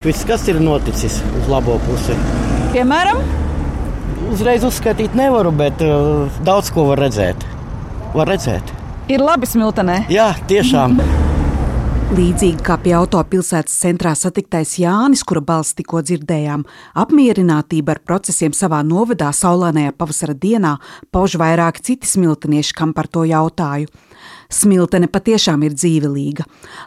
Viss, kas ir noticis uz labo pusi. Piemēram? Uzreiz uzskaitīt nevaru, bet daudz ko var redzēt. Ir labi Smiltenē? Jā, tiešām. Līdzīgi kā pie autopilsētas centrā satiktais Jānis, kura balss tikko dzirdējām, apmierinātība ar procesiem savā novadā saulainajā pavasara dienā pauž vairāki citi smiltenieši, kam par to jautāju. Smiltene patiešām ir dzīvelīga.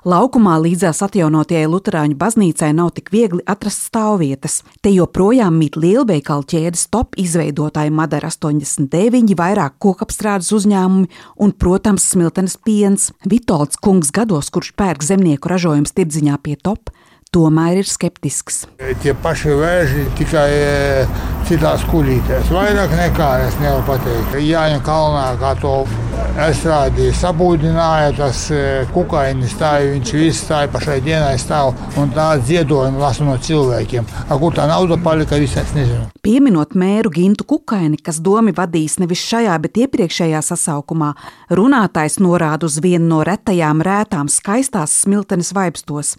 Laukumā līdzās atjaunotajai luterāņu baznīcai nav tik viegli atrast stāvvietas. Te joprojām mīt lielveikalu ķēdes Top izveidotāji Madara 89, vairāk kokapstrādes uzņēmumi un, protams, Smiltenes piens. Vitolds kungs gados, kurš pērk zemnieku ražojums tirdziņā pie Top, tomēr ir skeptisks. Tie paši vēži tikai citās kuļītēs. Vairāk nekā es nevaru pateikt. Jāņa kalnā, kā to estrādi sabūdināja, tas Kukaini stāja, viņš viss stāja pašai dienai stāv un tā dziedojumi lasu no cilvēkiem. Kur tā nauda palika, viss es nezinu. Pieminot mēru Gintu Kukaini, kas domi vadīs nevis šajā, bet iepriekšējā sasaukumā, runātājs norāda uz vienu no retajām rētām skaistās Smiltenes vaibstos.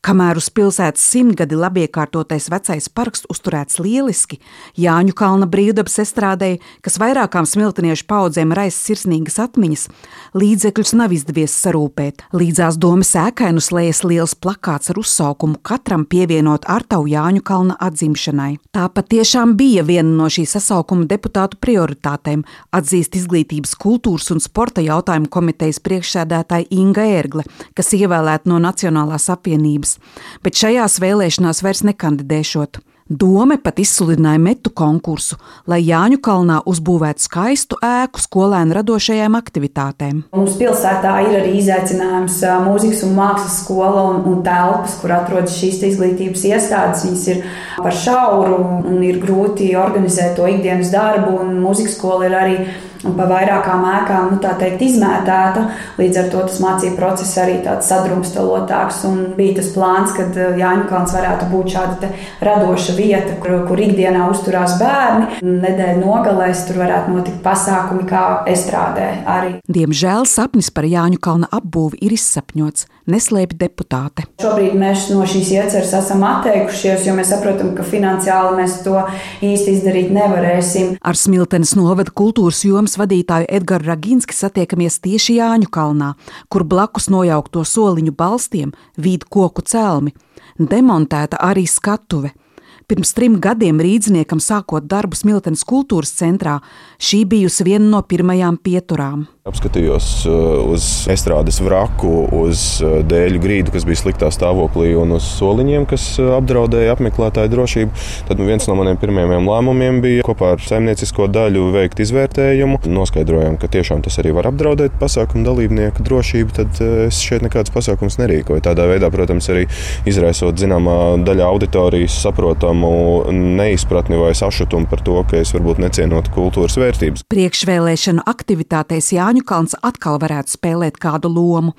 Kamēr uz pilsētas 100 labiekārtotais vecais parks uzturēts lieliski, Jāņu kalna brīvdabas estrādei, kas vairākām smilteniešu paudzēm raisa sirsnīgas atmiņas, līdzekļus nav izdevies sarūpēt. Līdzās domas ēkai slējas liels plakāts ar uzsaukumu katram pievienot artavu Jāņu kalna atzimšanai. Tā patiešām bija viena no šī sasaukuma deputātu prioritātēm, atzīst Izglītības, kultūras un sporta jautājumu komitejas priekšsēdētāja Inga Ērgle, kas ievēlēta no Nacionālās apvienības. Bet šajās vēlēšanās vairs nekandidēšot. Dome pat izsludināja metu konkursu, lai Jāņu kalnā uzbūvētu skaistu ēku skolēnu radošajām aktivitātēm. Mums pilsētā ir arī izaicinājums mūzikas un mākslas skola un telpas, kur atrodas šīs izglītības iestādes. Viņas ir par šauru un ir grūti organizēt to ikdienas darbu, un mūzikas skola ir arī pa vairākām ēkām, tā teikt, izmētēta. Līdz ar to tas mācību process arī tāds sadrumstalotāks, un bija tas plāns, kad Jāņu kalns varētu būt šāda te radoša vieta, kur ikdienā uzturās bērni. Nedēļu nogalēs tur varētu notikt pasākumi kā estrādē arī. Diemžēl sapnis par Jāņu kalna apbūvi ir izsapņots, neslēpj deputāte. Šobrīd mēs no šīs ieceres esam atteikušies, jo mēs saprotam, ka finansiāli mēs to īsti izdarīt nevarēsim. Ar Smiltenes novada kultūras jomas vadītāju Edgaru Raginski satiekamies tieši Jāņu kalnā, kur blakus nojaukto soliņu balstiem vīd koku celmi. Demontēta arī skatuve. Pirms 3 gadiem rīdzniekam sākot darbu Smiltenes kultūras centrā, šī bijusi viena no pirmajām pieturām. Apskatījos uz estrādes vraku, uz dēļu grīdu, kas bija sliktā stāvoklī, un uz soliņiem, kas apdraudēja apmeklētāju drošību. Tad viens no maniem pirmajiem lēmumiem bija kopā ar saimniecisko daļu veikt izvērtējumu. Noskaidrojām, ka tiešām tas arī var apdraudēt pasākumu dalībnieku drošību, tad es šeit nekādas pasākumus nerīkoju. Tādā veidā, protams, arī izraisot zināmā daļa auditorijas saprotamu neizpratni vai sašutumu par to, ka es varbūt necienotu kultūras vērtības. Priekšvēlēšanu aktivitātēs Jāņu kalns atkal varētu spēlēt kādu lomu,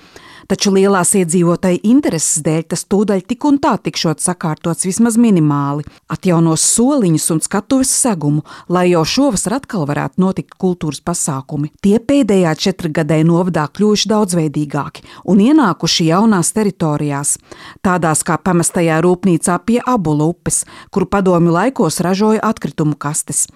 taču lielās iedzīvotāju intereses dēļ tas tūdaļ tik un tā tikšot sakārtots vismaz minimāli. Atjaunos soliņus un skatuves segumu, lai jau šovasar atkal varētu notikt kultūras pasākumi. Tie pēdējā 4 gadē novadā kļuvuši daudzveidīgāki un ienākuši jaunās teritorijās, tādās kā pamestajā rūpnīcā pie Abula upes, kuru padomju laikos ražoja atkritumu kastes.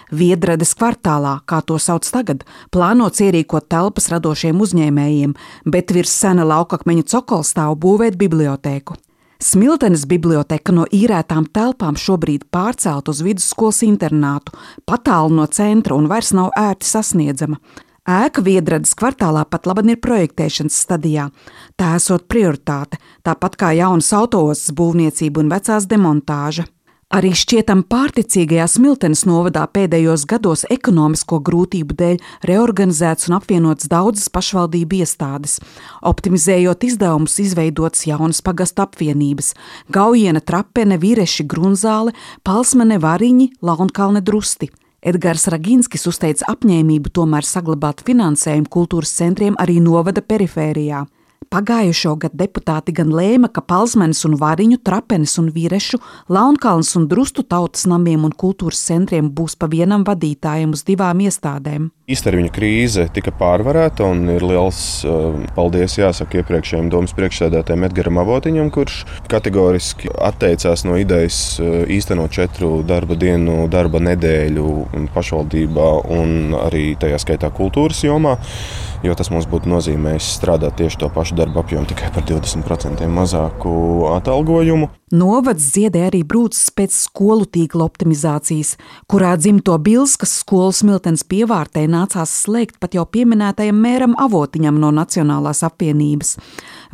Viedrades kvartālā, kā to sauc tagad, plānots ierīkot telpas radošiem uzņēmējiem, bet virs sena laukakmeņa cokola stāv būvēt bibliotēku. Smiltenes biblioteka no īrētām telpām šobrīd pārcelt uz vidusskolas internātu, patālu no centra un vairs nav ērti sasniedzama. Ēka Viedrades kvartālā pat laban ir projektēšanas stadijā. Tā esot prioritāte, tāpat kā jaunas autoostas būvniecība un vecās demontāža. Arī šķietam pārticīgajā Smiltenes novadā pēdējos gados ekonomisko grūtību dēļ reorganizēts un apvienots daudzas pašvaldību iestādes. Optimizējot izdevumus, izveidotas jaunas pagastu apvienības – Gaujiena, Trapene, Vireši, Grunzāle, Palsmene, Variņi, Launkalne, Drusti. Edgars Raginskis uzteica apņēmību tomēr saglabāt finansējumu kultūras centriem arī novada perifērijā. Pagājušo gadu deputāti gan lēma, ka Palsmenes un Variņu, Trapenes un Virešu, Launkalnes un Drustu tautas namiem un kultūras centriem būs pa vienam vadītājam uz 2 iestādēm. Īstermiņa krīze tika pārvarēta un ir liels paldies jāsaka iepriekšējiem domas priekšsēdētājiem Edgaram Avotiņam, kurš kategoriski atteicās no idejas īstenot 4 darba dienu, darba nedēļu pašvaldībā un arī tajā skaitā kultūras jomā, jo tas mums būtu nozīmējis strādāt tieši to pašu darba apjomu tikai par 20% mazāku atalgojumu. Novads dziedē arī brūces pēc skolu tīkla optimizācijas, kurā dzimto Bilskas skolu Smiltenes pievārtē nācās slēgt pat jau pieminētajam mēram Avotiņam no Nacionālās apvienības.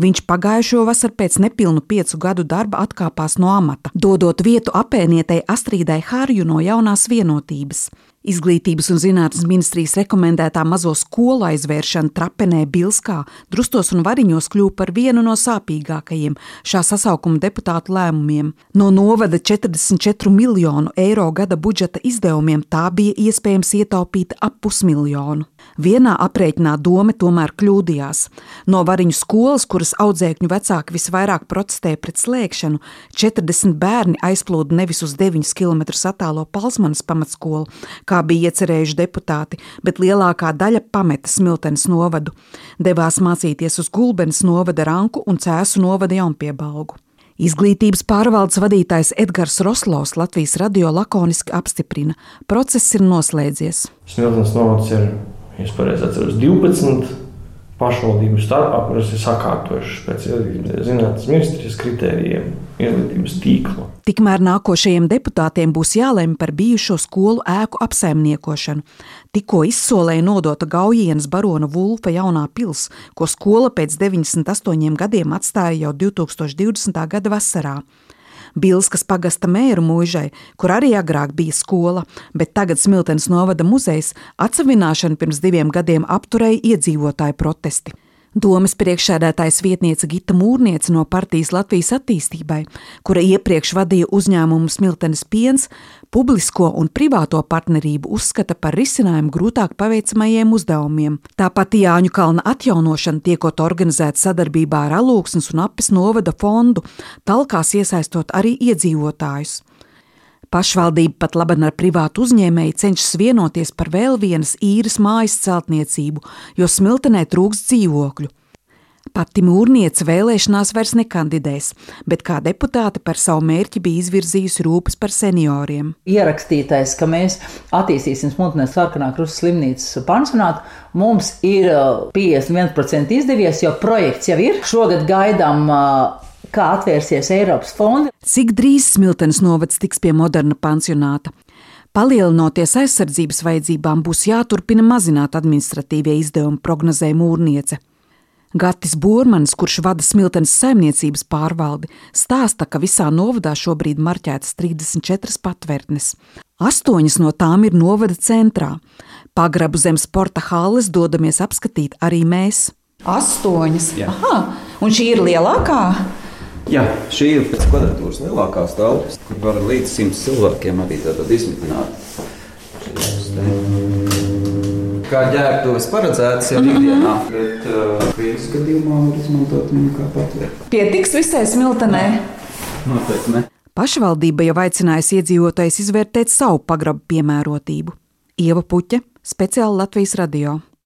Viņš pagājušo vasaru pēc nepilnu 5 gadu darba atkāpās no amata, dodot vietu apēnietei Astrīdai Harju no Jaunās vienotības. Izglītības un zinātnes ministrijas rekomendētā mazo skolu aizvēršana Trapenē, Bilskā, Drustos un Variņos kļuva par vienu no sāpīgākajiem šā sasaukuma deputātu lēmumiem. No novada 44 miljonu eiro gada budžeta izdevumiem tā bija iespējams ietaupīt ap 500 miljonu. Vienā aprēķinā doma tomēr kļūdījās. No Variņu skolas, kuras audzēkņu vecāki visvairāk protestēja pret slēgšanu, 40 bērni aizplūda nevis uz 9 km attālo Palsmenes pamatskolu, kā bija iecerējuši deputāti, bet lielākā daļa pameta Smiltenes novadu. Devās mācīties uz Gulbenes novada Ranku un Cēsu novada Jaunpiebalgu. Izglītības pārvaldes vadītājs Edgars Roslovs Latvijas radio lakoniski apstiprina, process ir noslēdzies. Smiltenes novads ir, ja es pareizi atceros, 12 pašvaldību starpā, kuras ir sakārtojušas pēc zinātnes ministrijas kritērijiem izglītības tīklu. Tikmēr nākošajiem deputātiem būs jālemj par bijušo skolu ēku apsaimniekošanu. Tikko izsolēja nodota Gaujienas barona Vulfa jaunā pils, ko skola pēc 98 gadiem atstāja jau 2020. gada vasarā. Bilskas pagasta mēru mūžai, kur arī agrāk bija skola, bet tagad Smiltenes novada muzejs atsavināšanu pirms 2 gadiem apturēja iedzīvotāju protesti. Domes priekšsēdētājas vietniece Gita Mūrniece no partijas Latvijas attīstībai, kura iepriekš vadīja uzņēmumu Smiltenes piens, publisko un privāto partnerību uzskata par risinājumu grūtāk paveicamajiem uzdevumiem. Tāpat Jāņu kalna atjaunošana tiekot organizēta sadarbībā ar Alūksnes un Apes novada fondu, talkās iesaistot arī iedzīvotājus. Pašvaldība pat laban ar privātu uzņēmēju cenšas vienoties par vēl vienas īres mājas celtniecību, jo Smiltenē trūkst dzīvokļu. Pati Mūrniece vēlēšanās vairs nekandidēs, bet kā deputāte par savu mērķi bija izvirzījusi rūpes par senioriem. Ierakstītais, ka mēs attīstīsim Smiltenes Sarkanā Krusta slimnīcas pansionātu, mums ir 51% izdevies, jo projekts jau ir. Šogad gaidām kā atvērsies Eiropas fondi. Cik drīz Smiltenes novads tiks pie moderna pansionāta? Palielinoties aizsardzības vajadzībām, būs jāturpina mazināt administratīvie izdevumi, prognozē Mūrniece. Gatis Bormanis, kurš vada Smiltenes saimniecības pārvaldi, stāsta, ka visā novadā šobrīd marķētas 34 patvērtnes. 8 no tām ir novada centrā. Pagrabu zem sporta halles dodamies apskatīt arī mēs. 8. Jā. Aha, un šī ir lielākā? Jā, šī ir pēc kvadratūras lielākās telpas, kur var līdz 100 cilvēkiem arī tātad izmitināt. Kā ģērbtuves paredzētas jau ikdienā, bet krīzes gadījumā var izmantot viņu kā patvērt. Pietiks visai Smiltenē? Noteikti ne. Pašvaldība jau aicinājusi iedzīvotājus izvērtēt savu pagrabu piemērotību. Ieva Puķe, speciāli Latvijas radio.